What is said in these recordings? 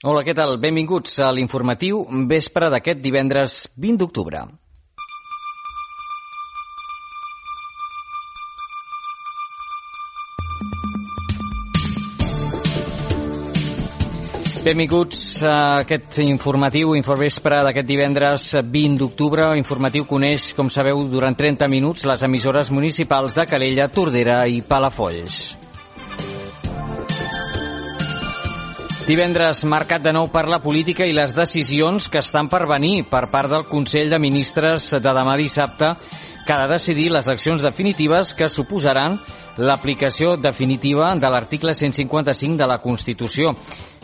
Hola, què tal? Benvinguts a l'informatiu vespre d'aquest divendres 20 d'octubre. Benvinguts a aquest informatiu, Infovespre d'aquest divendres 20 d'octubre. Informatiu coneix, com sabeu, durant 30 minuts les emissores municipals de Calella, Tordera i Palafolls. Divendres marcat de nou per la política i les decisions que estan per venir per part del Consell de Ministres de demà dissabte, que ha de decidir les accions definitives que suposaran l'aplicació definitiva de l'article 155 de la Constitució.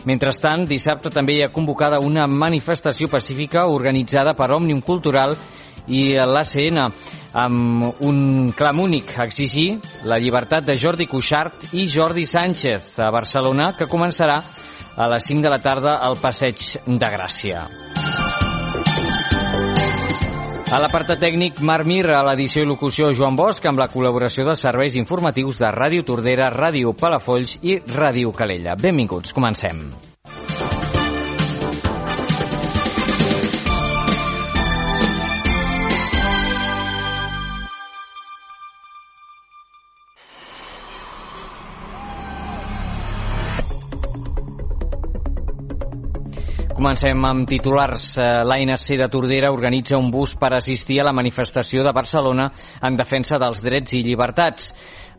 Mentrestant, dissabte també hi ha convocada una manifestació pacífica organitzada per Òmnium Cultural i l'ACN, amb un clam únic: exigir la llibertat de Jordi Cuixart i Jordi Sánchez a Barcelona, que començarà a les 5 de la tarda al Passeig de Gràcia. A l'apartat tècnic, Marc Mir, a l'edició i locució Joan Bosch, amb la col·laboració dels serveis informatius de Ràdio Tordera, Ràdio Palafolls i Ràdio Calella. Benvinguts, comencem. Comencem amb titulars. L'ANC de Tordera organitza un bus per assistir a la manifestació de Barcelona en defensa dels drets i llibertats.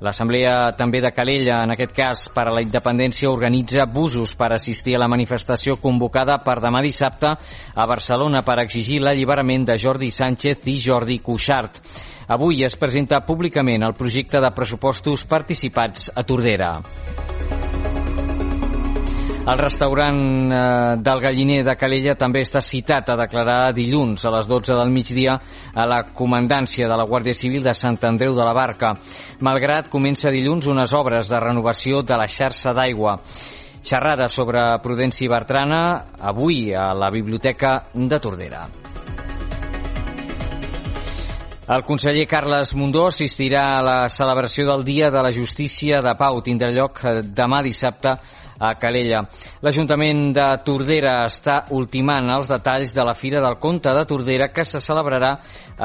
L'Assemblea també de Calella, en aquest cas per a la independència, organitza busos per assistir a la manifestació convocada per demà dissabte a Barcelona per exigir l'alliberament de Jordi Sánchez i Jordi Cuixart. Avui es presenta públicament el projecte de pressupostos participats a Tordera. El restaurant del Galliner de Calella també està citat a declarar dilluns a les 12 del migdia a la comandància de la Guàrdia Civil de Sant Andreu de la Barca, malgrat comença dilluns unes obres de renovació de la xarxa d'aigua. Xerrada sobre Prudència Bertrana, avui a la Biblioteca de Tordera. El conseller Carles Mundó assistirà a la celebració del Dia de la Justícia de Pau. Tindrà lloc demà dissabte a Calella. L'Ajuntament de Tordera està ultimant els detalls de la Fira del Conte de Tordera, que se celebrarà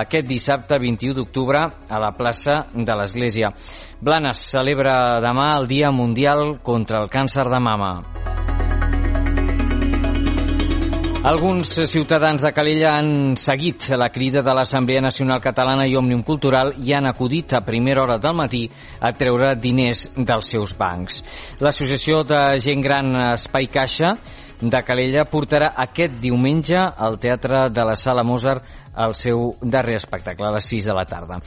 aquest dissabte 21 d'octubre a la plaça de l'Església. Blanes celebra demà el Dia Mundial contra el Càncer de Mama. Alguns ciutadans de Calella han seguit la crida de l'Assemblea Nacional Catalana i Òmnium Cultural i han acudit a primera hora del matí a treure diners dels seus bancs. L'Associació de Gent Gran Espai Caixa de Calella portarà aquest diumenge al Teatre de la Sala Mozart el seu darrer espectacle a les 6 de la tarda.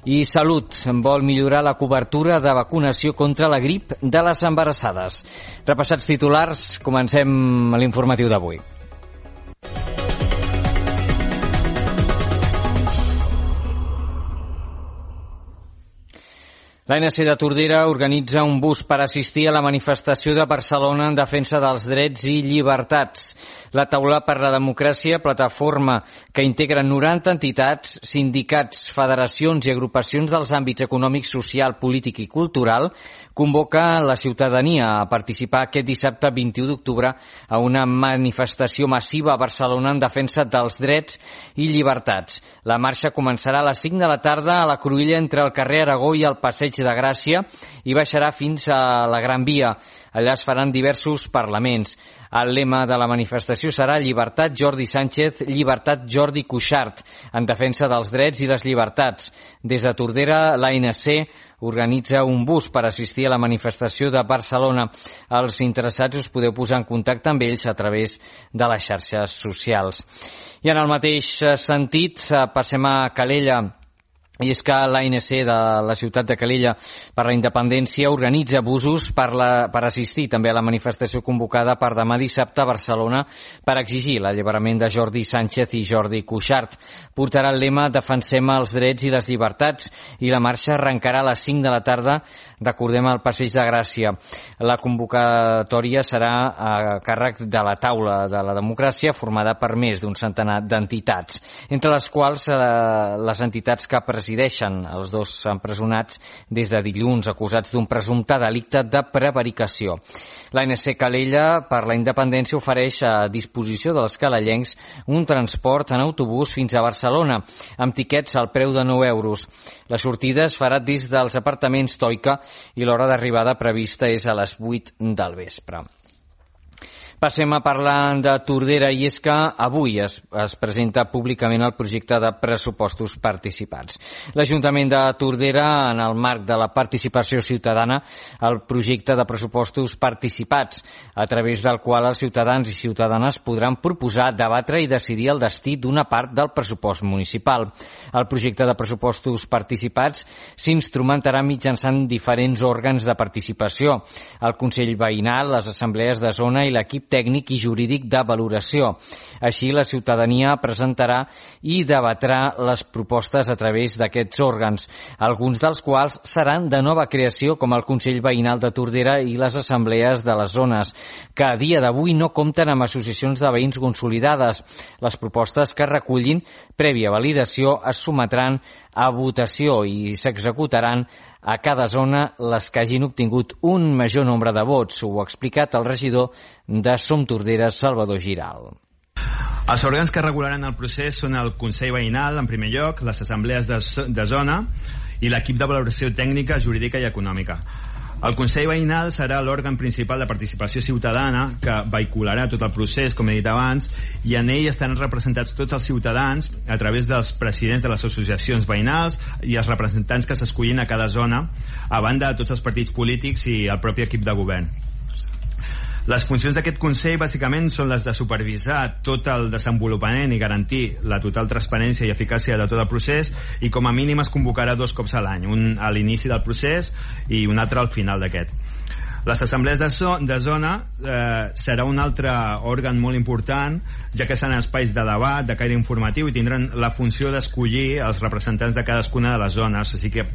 I Salut vol millorar la cobertura de vacunació contra la grip de les embarassades. Repassats titulars, comencem l'informatiu d'avui. L'ANC de Tordera organitza un bus per assistir a la manifestació de Barcelona en defensa dels drets i llibertats. La Taula per la Democràcia, plataforma que integra 90 entitats, sindicats, federacions i agrupacions dels àmbits econòmic, social, polític i cultural, convoca la ciutadania a participar aquest dissabte 21 d'octubre a una manifestació massiva a Barcelona en defensa dels drets i llibertats. La marxa començarà a les 5 de la tarda a la cruïlla entre el carrer Aragó i el Passeig de Gràcia i baixarà fins a la Gran Via. Allà es faran diversos parlaments. El lema de la manifestació serà Llibertat Jordi Sánchez, Llibertat Jordi Cuixart, en defensa dels drets i les llibertats. Des de Tordera, l'ANC organitza un bus per assistir a la manifestació de Barcelona. Els interessats us podeu posar en contacte amb ells a través de les xarxes socials. I en el mateix sentit, passem a Calella. I és que l'ANC de la ciutat de Calella per la Independència organitza busos per assistir també a la manifestació convocada per demà dissabte a Barcelona per exigir l'alliberament de Jordi Sánchez i Jordi Cuixart. Portarà el lema Defensem els drets i les llibertats i la marxa arrencarà a les 5 de la tarda, recordem, al Passeig de Gràcia. La convocatòria serà a càrrec de la Taula de la Democràcia, formada per més d'un centenar d'entitats, entre les quals les entitats que presenten resideixen els dos empresonats des de dilluns, acusats d'un presumpte delicte de prevaricació. L'ANC Calella per la Independència ofereix a disposició dels calellencs un transport en autobús fins a Barcelona, amb tiquets al preu de 9 euros. La sortida es farà des dels apartaments Toica i l'hora d'arribada prevista és a les 8 del vespre. Passem a parlar de Tordera, i és que avui es presenta públicament el projecte de pressupostos participats. L'Ajuntament de Tordera, en el marc de la participació ciutadana, el projecte de pressupostos participats, a través del qual els ciutadans i ciutadanes podran proposar, debatre i decidir el destí d'una part del pressupost municipal. El projecte de pressupostos participats s'instrumentarà mitjançant diferents òrgans de participació: el Consell Veïnal, les assemblees de zona i l'equip tècnic i jurídic de valoració. Així, la ciutadania presentarà i debatrà les propostes a través d'aquests òrgans, alguns dels quals seran de nova creació, com el Consell Veïnal de Tordera i les assemblees de les zones, que a dia d'avui no compten amb associacions de veïns consolidades. Les propostes que recullin, prèvia validació, es sotmetran a votació i s'executaran a cada zona les que hagin obtingut un major nombre de vots. Ho ha explicat el regidor de Som Tordera, Salvador Giral. Els òrgans que regularan el procés són el Consell Veïnal, en primer lloc, les assemblees de zona i l'equip de valoració tècnica, jurídica i econòmica. El Consell Veïnal serà l'òrgan principal de participació ciutadana que vehicularà tot el procés, com he dit abans, i en ell estan representats tots els ciutadans a través dels presidents de les associacions veïnals i els representants que s'escollin a cada zona, a banda de tots els partits polítics i el propi equip de govern. Les funcions d'aquest Consell bàsicament són les de supervisar tot el desenvolupament i garantir la total transparència i eficàcia de tot el procés, i com a mínim es convocarà 2 cops a l'any, un a l'inici del procés i un altre al final d'aquest. Les assemblees de zona serà un altre òrgan molt important, ja que seran espais de debat, de caire informatiu, i tindran la funció d'escollir els representants de cadascuna de les zones. Així que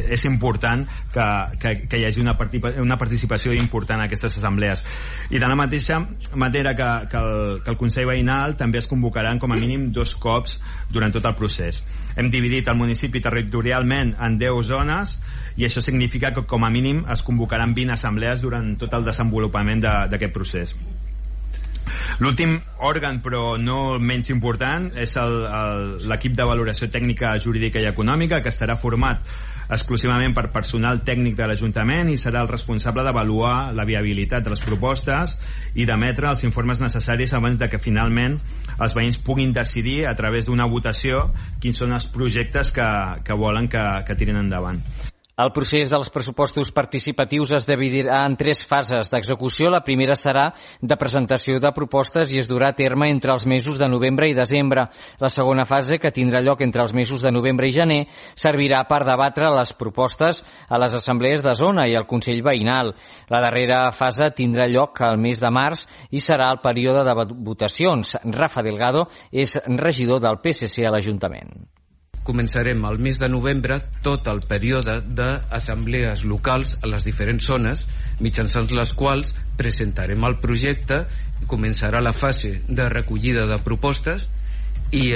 és important que hi hagi una participació important en aquestes assemblees. I de la mateixa manera que el Consell Veïnal, també es convocaran com a mínim 2 cops durant tot el procés. Hem dividit el municipi territorialment en 10 zones, i això significa que com a mínim es convocaran 20 assemblees durant tot el desenvolupament d'aquest procés. L'últim òrgan, però no menys important, és l'equip de valoració tècnica, jurídica i econòmica, que estarà format exclusivament per personal tècnic de l'Ajuntament i serà el responsable d'avaluar la viabilitat de les propostes i d'emetre els informes necessaris abans de que finalment els veïns puguin decidir a través d'una votació quins són els projectes que volen que tirin endavant. El procés dels pressupostos participatius es dividirà en 3 fases d'execució. La primera serà de presentació de propostes i es durà a terme entre els mesos de novembre i desembre. La segona fase, que tindrà lloc entre els mesos de novembre i gener, servirà per debatre les propostes a les assemblees de zona i al Consell Veïnal. La darrera fase tindrà lloc al mes de març i serà el període de votacions. Rafa Delgado és regidor del PSC a l'Ajuntament. Començarem al mes de novembre tot el període d'assemblees locals a les diferents zones, mitjançant les quals presentarem el projecte, començarà la fase de recollida de propostes i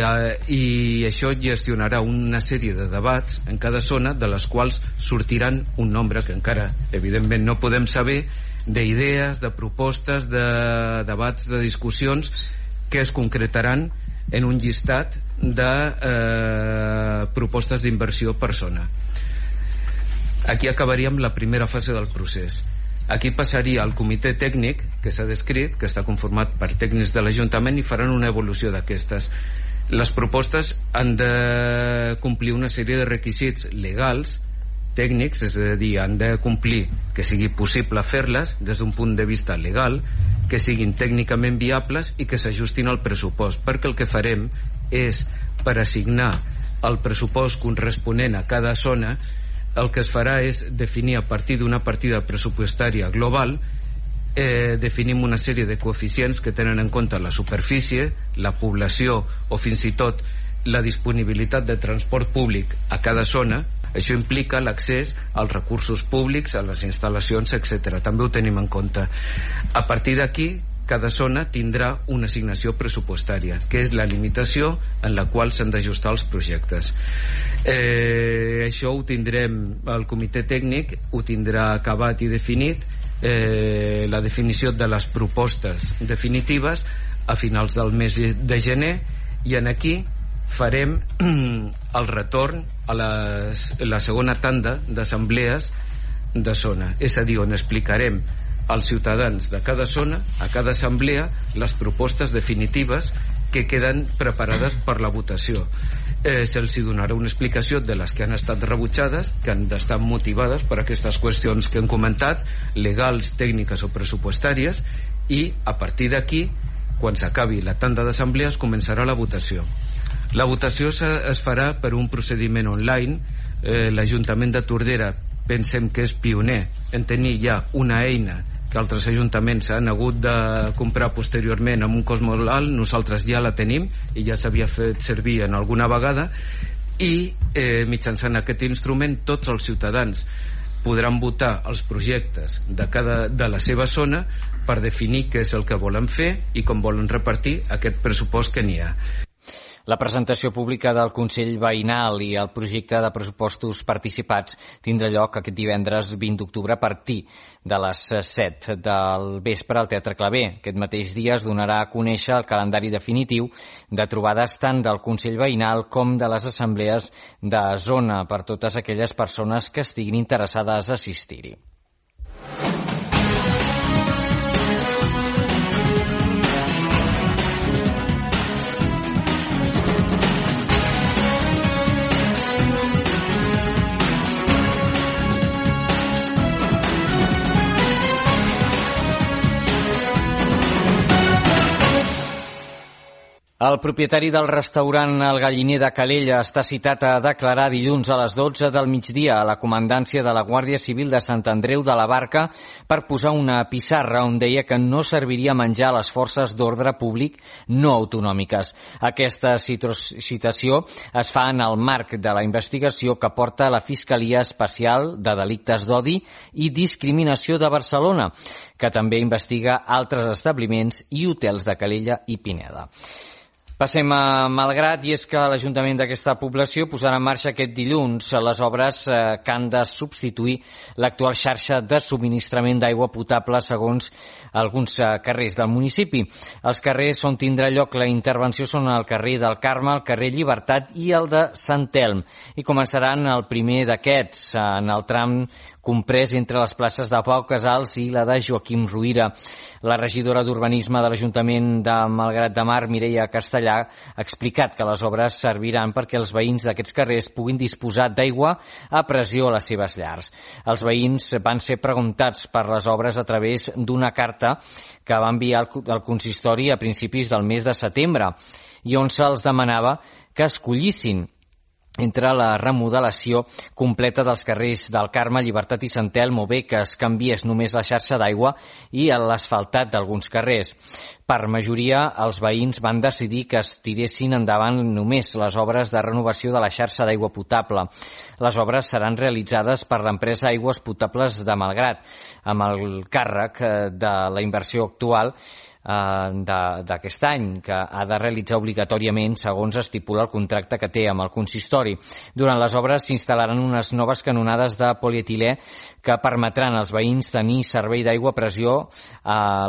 això gestionarà una sèrie de debats en cada zona, de les quals sortiran un nombre que encara evidentment no podem saber, d'idees, de propostes, de debats, de discussions que es concretaran en un llistat de propostes d'inversió per zona. Aquí acabaríem la primera fase del procés. Aquí passaria al comitè tècnic que s'ha descrit, que està conformat per tècnics de l'Ajuntament, i faran una evolució d'aquestes. Les propostes han de complir una sèrie de requisits legals, tècnics, és a dir, han de complir que sigui possible fer-les des d'un punt de vista legal, que siguin tècnicament viables i que s'ajustin al pressupost, perquè el que farem és, per assignar el pressupost corresponent a cada zona, el que es farà és definir a partir d'una partida pressupostària global, definim una sèrie de coeficients que tenen en compte la superfície, la població o fins i tot la disponibilitat de transport públic a cada zona. Això implica l'accés als recursos públics, a les instal·lacions, etc. També ho tenim en compte. A partir d'aquí cada zona tindrà una assignació pressupostària, que és la limitació en la qual s'han d'ajustar els projectes. Això ho tindrem, el comitè tècnic ho tindrà acabat i definit, la definició de les propostes definitives a finals del mes de gener, i en aquí farem el retorn a la segona tanda d'assemblees de zona, és a dir, on explicarem als ciutadans de cada zona, a cada assemblea, les propostes definitives que queden preparades per la votació. Se'ls donarà una explicació de les que han estat rebutjades, que han d'estar motivades per aquestes qüestions que hem comentat, legals, tècniques o pressupostàries, i a partir d'aquí, quan s'acabi la tanda d'assemblees, començarà la votació. La votació es farà per un procediment online. L'Ajuntament de Tordera pensem que és pioner en tenir ja una eina que altres ajuntaments han hagut de comprar posteriorment amb un cost molt alt. Nosaltres ja la tenim i ja s'havia fet servir en alguna vegada, i mitjançant aquest instrument tots els ciutadans podran votar els projectes de la seva zona per definir què és el que volen fer i com volen repartir aquest pressupost que n'hi ha. La presentació pública del Consell Veïnal i el projecte de pressupostos participats tindrà lloc aquest divendres 20 d'octubre a partir de les 7 del vespre al Teatre Claver. Aquest mateix dia es donarà a conèixer el calendari definitiu de trobades tant del Consell Veïnal com de les assemblees de zona per totes aquelles persones que estiguin interessades a assistir-hi. El propietari del restaurant El Galliner de Calella està citat a declarar dilluns a les 12 del migdia a la comandància de la Guàrdia Civil de Sant Andreu de la Barca per posar una pissarra on deia que no serviria menjar a les forces d'ordre públic no autonòmiques. Aquesta citació es fa en el marc de la investigació que porta la Fiscalia Especial de Delictes d'Odi i Discriminació de Barcelona, que també investiga altres establiments i hotels de Calella i Pineda. Passem a Malgrat, i és que l'Ajuntament d'aquesta població posarà en marxa aquest dilluns les obres que han de substituir l'actual xarxa de subministrament d'aigua potable segons alguns carrers del municipi. Els carrers on tindrà lloc la intervenció són el carrer del Carme, el carrer Llibertat i el de Sant Elm, i començaran el primer d'aquests en el tram comprès entre les places de Pau Casals i la de Joaquim Ruïra. La regidora d'Urbanisme de l'Ajuntament de Malgrat de Mar, Mireia Castellà, ha explicat que les obres serviran perquè els veïns d'aquests carrers puguin disposar d'aigua a pressió a les seves llars. Els veïns van ser preguntats per les obres a través d'una carta que va enviar el consistori a principis del mes de setembre i on se'ls demanava que escollissin entre la remodelació completa dels carrers del Carme, Llibertat i Sant Elm, o bé que es canviés només la xarxa d'aigua i l'asfaltat d'alguns carrers. Per majoria, els veïns van decidir que es tiressin endavant només les obres de renovació de la xarxa d'aigua potable. Les obres seran realitzades per l'empresa Aigües Potables de Malgrat, amb el càrrec de la inversió actual d'aquest any, que ha de realitzar obligatòriament segons estipula el contracte que té amb el consistori. Durant les obres s'instal·laran unes noves canonades de polietilè que permetran als veïns tenir servei d'aigua a pressió.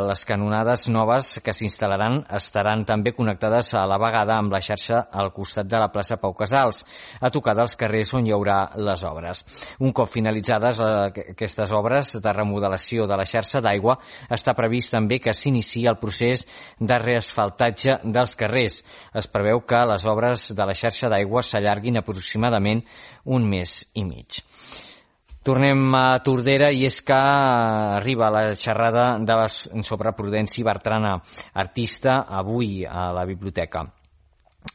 Les canonades noves que s'instal·laran estaran també connectades a la vegada amb la xarxa al costat de la plaça Pau Casals, a tocar dels carrers on hi haurà les obres. Un cop finalitzades aquestes obres de remodelació de la xarxa d'aigua, està previst també que s'iniciï el procés de reasfaltatge dels carrers. Es preveu que les obres de la xarxa d'aigua s'allarguin aproximadament un mes i mig. Tornem a Tordera, i és que arriba la xerrada sobre Prudenci Bertrana, artista, avui a la biblioteca.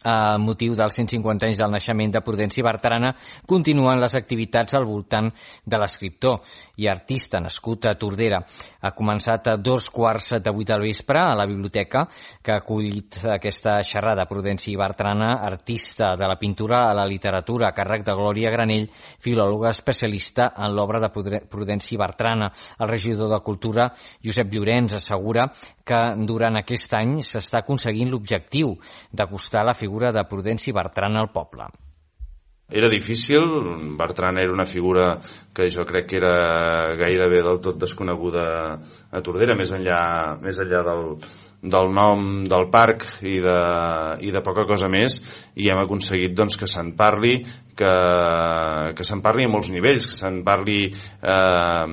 A motiu dels 150 anys del naixement de Prudenci Bertrana, continuen les activitats al voltant de l'escriptor i artista nascut a Tordera. Ha començat a 2:15 del vespre a la biblioteca que ha acollit aquesta xerrada. Prudenci Bertrana, artista de la pintura a la literatura, a càrrec de Glòria Granell, filòloga especialista en l'obra de Prudenci Bertrana. El regidor de Cultura, Josep Llorenç, assegura que durant aquest any s'està aconseguint l'objectiu d'acostar la figura de Prudenci Bertrana al poble. Era difícil, Bertrana era una figura que jo crec que era gairebé del tot desconeguda a Tordera, més enllà del nom del parc i de poca cosa més, i hem aconseguit doncs, que se'n parli, que se'n parli a molts nivells, que se'n parli a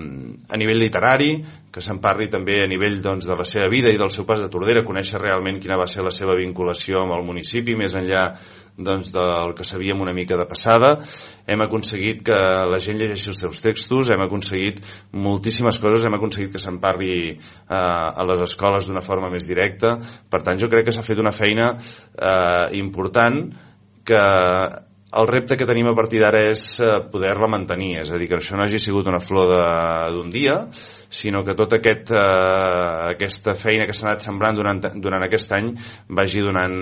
nivell literari, que se'n parli també a nivell doncs, de la seva vida i del seu pas de Tordera, conèixer realment quina va ser la seva vinculació amb el municipi, més enllà doncs, del que sabíem una mica de passada. Hem aconseguit que la gent llegeixi els seus textos, hem aconseguit moltíssimes coses, hem aconseguit que se'n parli a les escoles d'una forma més directa. Per tant, jo crec que s'ha fet una feina important, que el repte que tenim a partir d'ara és poder-la mantenir, és a dir, que això no hagi sigut una flor d'un dia, sinó que tota aquesta feina que s'ha anat sembrant durant aquest any vagi donant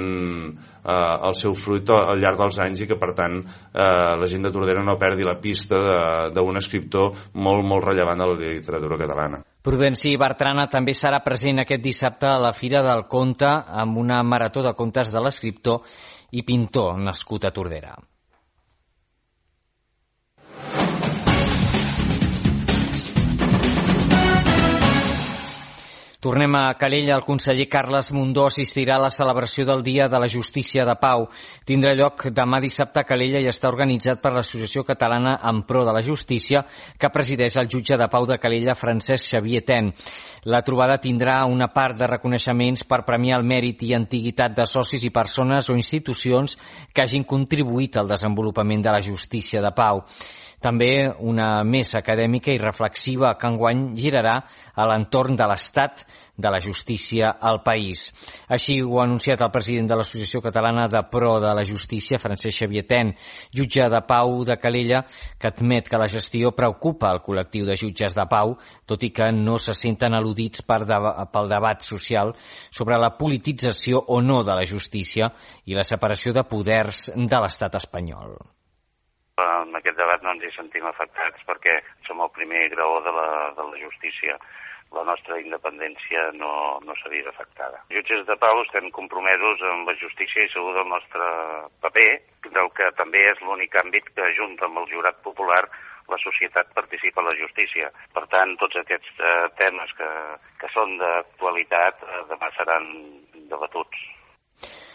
el seu fruit al llarg dels anys, i que per tant la gent de Tordera no perdi la pista d'un escriptor molt, molt rellevant de la literatura catalana. Prudenci Bertrana també serà present aquest dissabte a la Fira del Conte amb una marató de contes de l'escriptor i pintor nascut a Tordera. Tornem a Calella. El conseller Carles Mundó assistirà a la celebració del Dia de la Justícia de Pau. Tindrà lloc demà dissabte a Calella i està organitzat per l'Associació Catalana en Pro de la Justícia, que presideix el jutge de Pau de Calella, Francesc Xavier Ten. La trobada tindrà una part de reconeixements per premiar el mèrit i antiguitat de socis i persones o institucions que hagin contribuït al desenvolupament de la justícia de Pau. També una mesa acadèmica i reflexiva que enguany girarà a l'entorn de l'estat de la justícia al país. Així ho ha anunciat el president de l'Associació Catalana de Pro de la Justícia, Francesc Xavier Ten, jutge de Pau de Calella, que admet que la gestió preocupa el col·lectiu de jutges de Pau, tot i que no se senten al·ludits pel debat social sobre la politització o no de la justícia i la separació de poders de l'estat espanyol. En aquest debat no ens hi sentim afectats perquè som el primer graó de la justícia. La nostra independència no s'ha vist afectada. Jutges de Pau estem compromesos amb la justícia i segur del nostre paper, del que també és l'únic àmbit que, junt amb el jurat popular, la societat participa a la justícia. Per tant, tots aquests temes que són d'actualitat demà seran debatuts.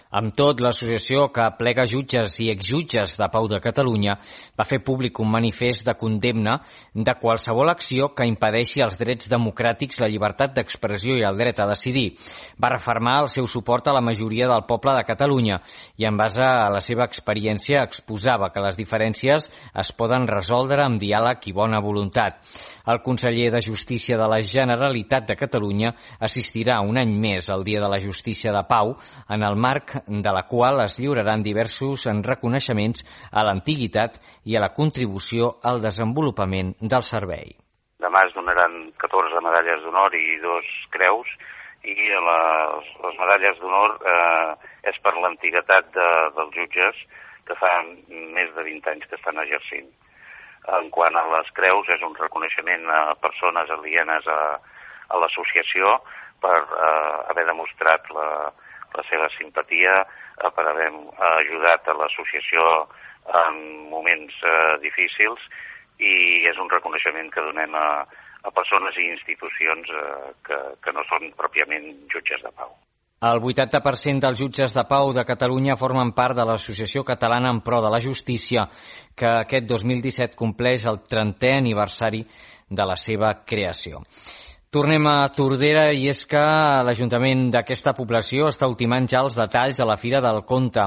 Amb tot, l'associació que aplega jutges i exjutges de Pau de Catalunya va fer públic un manifest de condemna de qualsevol acció que impedeixi els drets democràtics, la llibertat d'expressió i el dret a decidir. Va refermar el seu suport a la majoria del poble de Catalunya i, en base a la seva experiència, exposava que les diferències es poden resoldre amb diàleg i bona voluntat. El conseller de Justícia de la Generalitat de Catalunya assistirà un any més al Dia de la Justícia de Pau, en el marc de la qual es lliuraran diversos reconeixements a l'antiguitat i a la contribució al desenvolupament del servei. Demà es donaran 14 medalles d'honor i 2 creus, i les medalles d'honor és per l'antiguitat dels jutges, que fa més de 20 anys que estan exercint. En quant a les creus, és un reconeixement a persones alienes a l'associació per haver demostrat la seva simpatia, per haver ajudat a l'associació en moments difícils, i és un reconeixement que donem a persones i institucions que no són pròpiament jutges de pau. El 80% dels jutges de Pau de Catalunya formen part de l'Associació Catalana en Pro de la Justícia, que aquest 2017 compleix el 30è aniversari de la seva creació. Tornem a Tordera i és que l'Ajuntament d'aquesta població està ultimant ja els detalls de la Fira del Conte,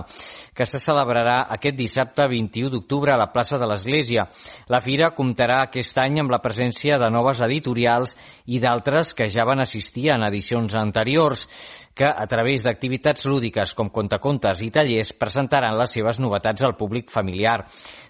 que se celebrarà aquest dissabte 21 d'octubre a la plaça de l'Església. La Fira comptarà aquest any amb la presència de noves editorials i d'altres que ja van assistir en edicions anteriors, que a través d'activitats lúdiques com contacontes i tallers presentaran les seves novetats al públic familiar.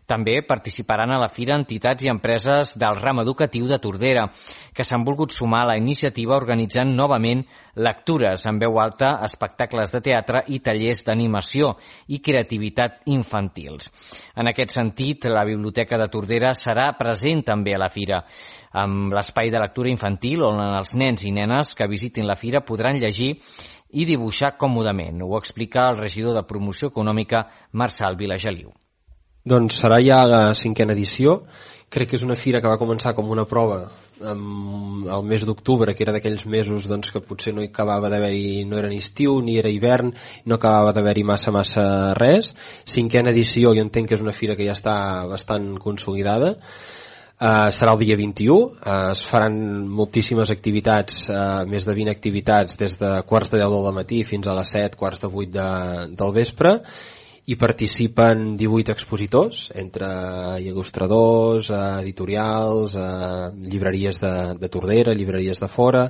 També participaran a la Fira entitats i empreses del ram educatiu de Tordera, que s'han volgut sumar a la iniciativa organitzant novament lectures en veu alta, espectacles de teatre i tallers d'animació i creativitat infantils. En aquest sentit, la Biblioteca de Tordera serà present també a la Fira, amb l'espai de lectura infantil on els nens i nenes que visitin la Fira podran llegir i dibuixar còmodament. Ho explica el regidor de Promoció Econòmica, Marçal Vilageliu. Doncs serà ja la 5a edició. Crec que és una fira que va començar com una prova el mes d'octubre, que era d'aquells mesos doncs, que potser no acabava d'haver-hi, no era ni estiu ni era hivern, no acabava d'haver-hi massa res. 5a edició, jo entenc que és una fira que ja està bastant consolidada. Serà el dia 21, es faran moltíssimes activitats, més de 20 activitats des de quarts de 10 del matí fins a les 7, quarts de 8 del vespre. Hi participen 18 expositors, entre il·lustradors, editorials, llibreries de Tordera, llibreries de fora,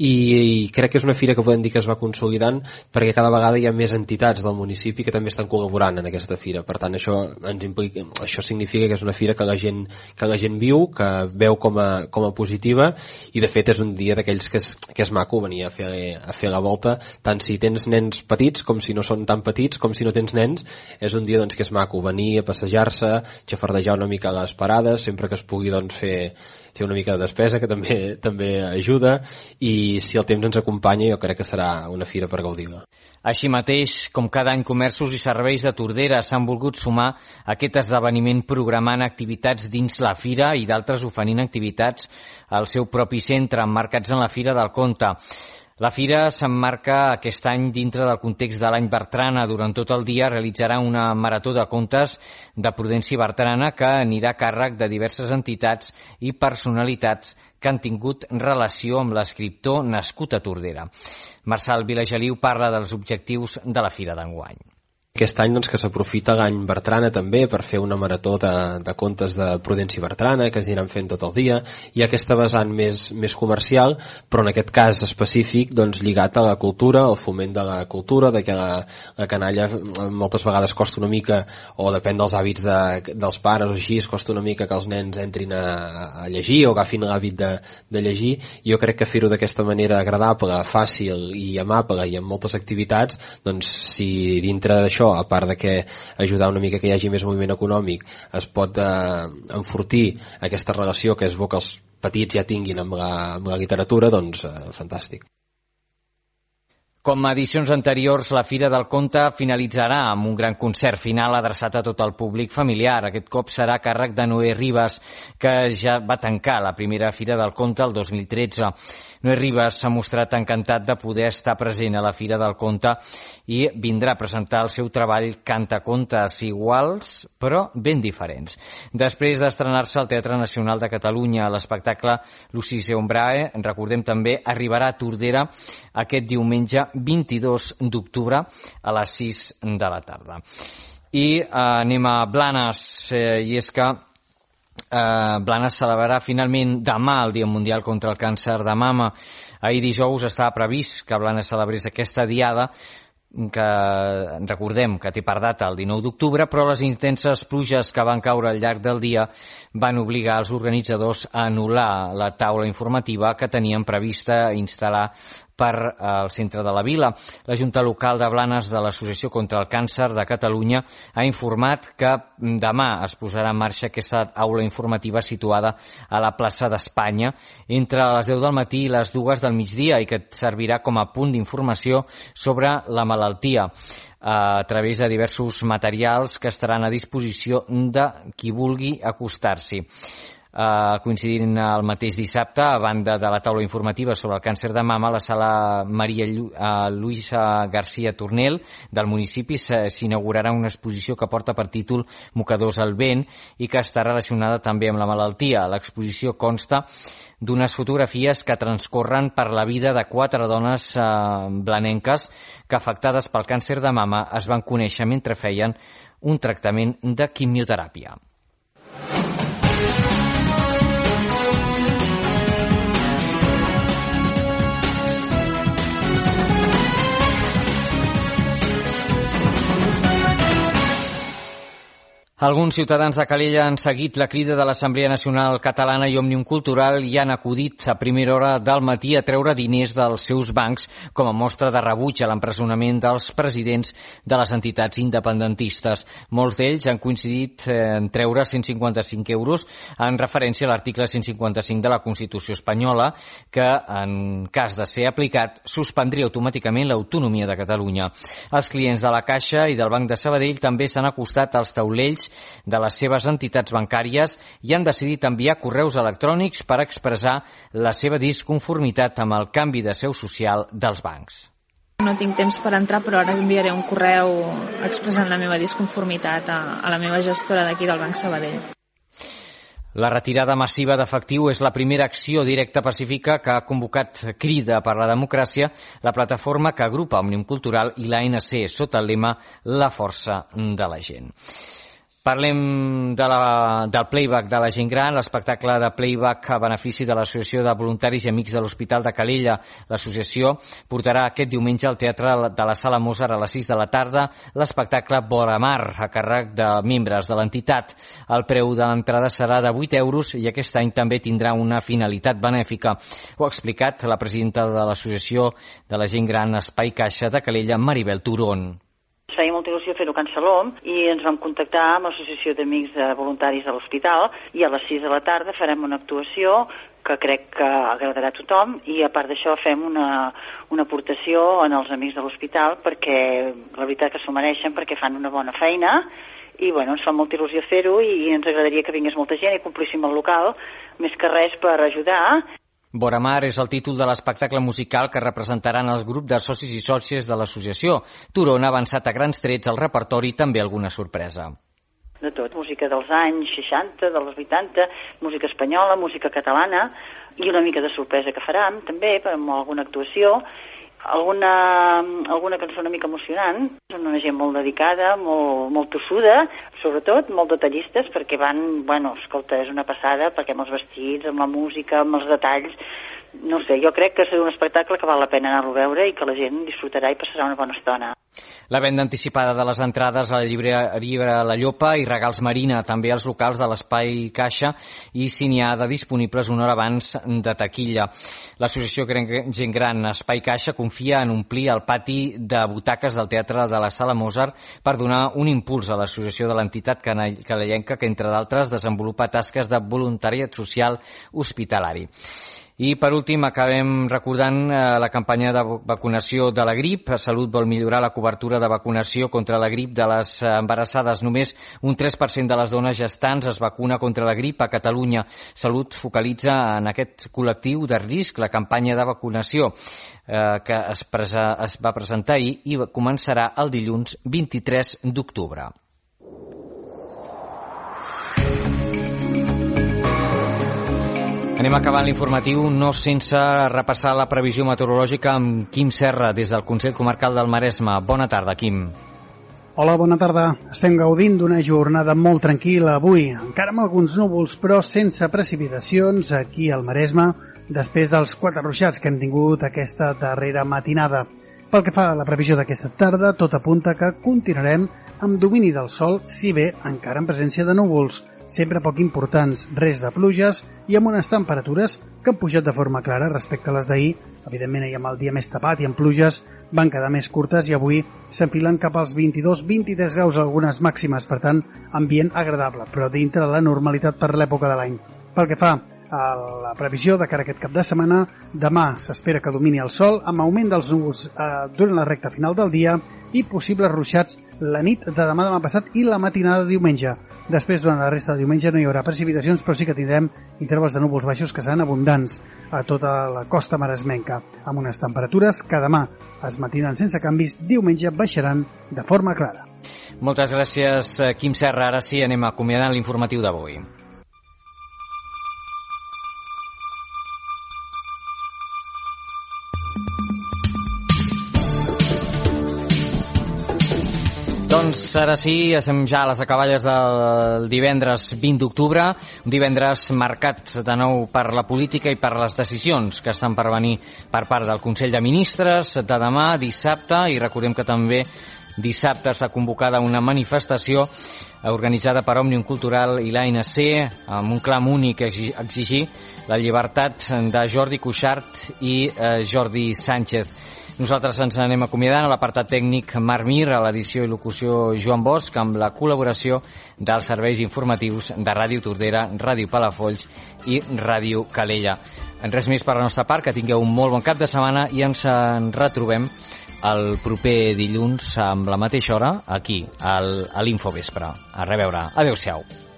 i crec que és una fira que podem dir que es va consolidant perquè cada vegada hi ha més entitats del municipi que també estan col·laborant en aquesta fira. Per tant, això significa que és una fira que la gent viu, que veu com a positiva, i de fet és un dia d'aquells que és maco venir a fer la volta, tant si tens nens petits com si no són tan petits, com si no tens nens. És un dia doncs, que és maco venir a passejar-se, xafardejar una mica les parades, sempre que es pugui doncs, fer una mica de despesa, que també ajuda, i si el temps ens acompanya jo crec que serà una fira per gaudir-la. Així mateix, com cada any, comerços i serveis de Tordera s'han volgut sumar a aquest esdeveniment programant activitats dins la fira i d'altres oferint activitats al seu propi centre, emmarcats en la Fira del Conte. La Fira s'emmarca aquest any dintre del context de l'any Bertrana. Durant tot el dia realitzarà una marató de contes de Prudència Bertrana que anirà a càrrec de diverses entitats i personalitats que han tingut relació amb l'escriptor nascut a Tordera. Marçal Vilageliu parla dels objectius de la Fira d'enguany. Aquest any doncs, que s'aprofita l'any Bertrana també per fer una marató de contes de Prudència Bertrana que es aniran fent tot el dia. Hi ha aquesta vessant més comercial, però en aquest cas específic doncs, lligat a la cultura, al foment de la cultura, de que la canalla moltes vegades costa una mica, o depèn dels hàbits dels pares o així, costa una mica que els nens entrin a llegir o agafin l'hàbit de llegir. Jo crec que fer-ho d'aquesta manera agradable, fàcil i amable i amb moltes activitats, doncs si dintre d'això, a part de que ajudar una mica que hi hagi més moviment econòmic, es pot enfortir aquesta relació que és bo que els petits ja tinguin amb la literatura, doncs fantàstic. Com a edicions anteriors, la Fira del Conte finalitzarà amb un gran concert final adreçat a tot el públic familiar. Aquest cop serà a càrrec de Noé Ribas, que ja va tancar la primera Fira del Conte el 2013. Noé Ribas s'ha mostrat encantat de poder estar present a la Fira del Conte i vindrà a presentar el seu treball Cantacontes iguals, però ben diferents. Després d'estrenar-se al Teatre Nacional de Catalunya, l'espectacle Lucis et Ombrae, recordem també, arribarà a Tordera aquest diumenge 22 d'octubre a les 6 de la tarda. I anem a Blanes, i és que Blanes celebrarà finalment demà el Dia Mundial contra el Càncer de Mama. Ahir dijous estava previst que Blanes celebrés aquesta diada, que recordem que té per data el 19 d'octubre, però les intenses pluges que van caure al llarg del dia van obligar els organitzadors a anul·lar la taula informativa que tenien prevista instal·lar per al centre de la vila. La Junta Local de Blanes de l'Associació contra el Càncer de Catalunya ha informat que demà es posarà en marxa aquesta aula informativa situada a la plaça d'Espanya entre les 10 del matí i les 2 del migdia i que servirà com a punt d'informació sobre la malaltia a través de diversos materials que estaran a disposició de qui vulgui acostar-s'hi. coincidint el mateix dissabte, a banda de la taula informativa sobre el càncer de mama, a la sala Maria Luisa García Tornel del municipi s'inaugurarà una exposició que porta per títol Mocadors al vent i que està relacionada també amb la malaltia. L'exposició consta d'unes fotografies que transcorren per la vida de 4 dones blanenques que, afectades pel càncer de mama, es van conèixer mentre feien un tractament de quimioteràpia. Alguns ciutadans de Calella han seguit la crida de l'Assemblea Nacional Catalana i Òmnium Cultural i han acudit a primera hora del matí a treure diners dels seus bancs com a mostra de rebuig a l'empresonament dels presidents de les entitats independentistes. Molts d'ells han coincidit en treure 155 euros en referència a l'article 155 de la Constitució espanyola que, en cas de ser aplicat, suspendria automàticament l'autonomia de Catalunya. Els clients de la Caixa i del Banc de Sabadell també s'han acostat als taulells de les seves entitats bancàries i han decidit enviar correus electrònics per expressar la seva disconformitat amb el canvi de seu social dels bancs. No tinc temps per entrar, però ara enviaré un correu expressant la meva disconformitat a la meva gestora d'aquí del Banc Sabadell. La retirada massiva d'efectiu és la primera acció directa pacífica que ha convocat Crida per la Democràcia, la plataforma que agrupa Òmnium Cultural i l'ANC sota el lema La força de la gent. Parlem del playback de la gent gran, l'espectacle de playback a benefici de l'Associació de Voluntaris i Amics de l'Hospital de Calella. L'associació portarà aquest diumenge al Teatre de la Sala Mozart a les 6 de la tarda l'espectacle Boramar, a càrrec de membres de l'entitat. El preu de l'entrada serà de 8 euros i aquest any també tindrà una finalitat benèfica. Ho ha explicat la presidenta de l'Associació de la Gent Gran Espai Caixa de Calella, Maribel Turón. Ens feia molta il·lusió fer-ho a Can Salom i ens vam contactar amb l'Associació d'Amics de Voluntaris de l'Hospital i a les 6 de la tarda farem una actuació que crec que agradarà a tothom i a part d'això fem una aportació en els amics de l'hospital perquè la veritat que s'ho mereixen perquè fan una bona feina i bueno, ens fa molta il·lusió fer-ho i ens agradaria que vingués molta gent i complíssim el local, més que res per ajudar. Boramar és el títol de l'espectacle musical que representaran els grups de socis i sòcies de l'associació. Turón ha avançat a grans trets al repertori i també alguna sorpresa. De tot, música dels anys 60, dels 80, música espanyola, música catalana i una mica de sorpresa que farem també amb alguna actuació, alguna cançó una mica emocionant, una gent molt dedicada, molt tossuda, sobretot molt detallistes perquè van, bueno, escolta, és una passada perquè amb els vestits, amb la música, amb els detalls, no sé, jo crec que serà un espectacle que val la pena anar-lo a veure i que la gent disfrutarà i passarà una bona estona. La venda anticipada de les entrades a la llibreria La Llopa i Regals Marina, també als locals de l'Espai Caixa i si n'hi ha de disponibles una hora abans de taquilla. L'associació Gent Gran Espai Caixa confia en omplir el pati de butaques del Teatre de la Sala Mozart per donar un impuls a l'associació de l'entitat calellenca que, entre d'altres, desenvolupa tasques de voluntariat social hospitalari. I, per últim, acabem recordant la campanya de vacunació de la grip. Salut vol millorar la cobertura de vacunació contra la grip de les embarassades. Només un 3% de les dones gestants es vacuna contra la grip a Catalunya. Salut focalitza en aquest col·lectiu de risc la campanya de vacunació que es va presentar ahir i començarà el dilluns 23 d'octubre. Anem acabant l'informatiu, no sense repassar la previsió meteorològica amb Quim Serra, des del Consell Comarcal del Maresme. Bona tarda, Quim. Hola, bona tarda. Estem gaudint d'una jornada molt tranquil·la avui, encara amb alguns núvols, però sense precipitacions aquí al Maresme, després dels 4 ruixats que hem tingut aquesta darrera matinada. Pel que fa a la previsió d'aquesta tarda, tot apunta que continuarem amb domini del sol, si bé encara en presència de núvols, sempre poc importants, res de pluges i amb unes temperatures que han pujat de forma clara respecte a les d'ahir. Evidentment, ahir amb el dia més tapat i amb pluges van quedar més curtes i avui s'enfilen cap als 22-23 graus algunes màximes, per tant, ambient agradable, però dintre de la normalitat per l'època de l'any. Pel que fa a la previsió de cara a aquest cap de setmana, demà s'espera que domini el sol amb augment dels núvols durant la recta final del dia i possibles ruixats la nit de demà passat i la matinada de diumenge. Després, durant la resta de diumenge no hi haurà precipitacions, però sí que tindrem intervals de núvols baixos que seran abundants a tota la costa maresmenca, amb unes temperatures que demà es mantindran sense canvis, diumenge baixaran de forma clara. Moltes gràcies, Quim Serra. Ara sí, anem acomiadant l'informatiu d'avui. Doncs ara sí, estem ja a les acaballes del divendres 20 d'octubre, un divendres marcat de nou per la política i per les decisions que estan per venir per part del Consell de Ministres de demà, dissabte, i recordem que també dissabte està convocada una manifestació organitzada per Òmnium Cultural i l'ANC amb un clam únic a exigir la llibertat de Jordi Cuixart i Jordi Sánchez. Nosaltres ens anem acomiadant a l'apartat tècnic Marc Mir, a l'edició i locució Joan Bosch, amb la col·laboració dels serveis informatius de Ràdio Tordera, Ràdio Palafolls i Ràdio Calella. Res més per la nostra part, que tingueu un molt bon cap de setmana i ens en retrobem el proper dilluns amb la mateixa hora aquí, a l'Infovespre. A reveure. Adéu-siau.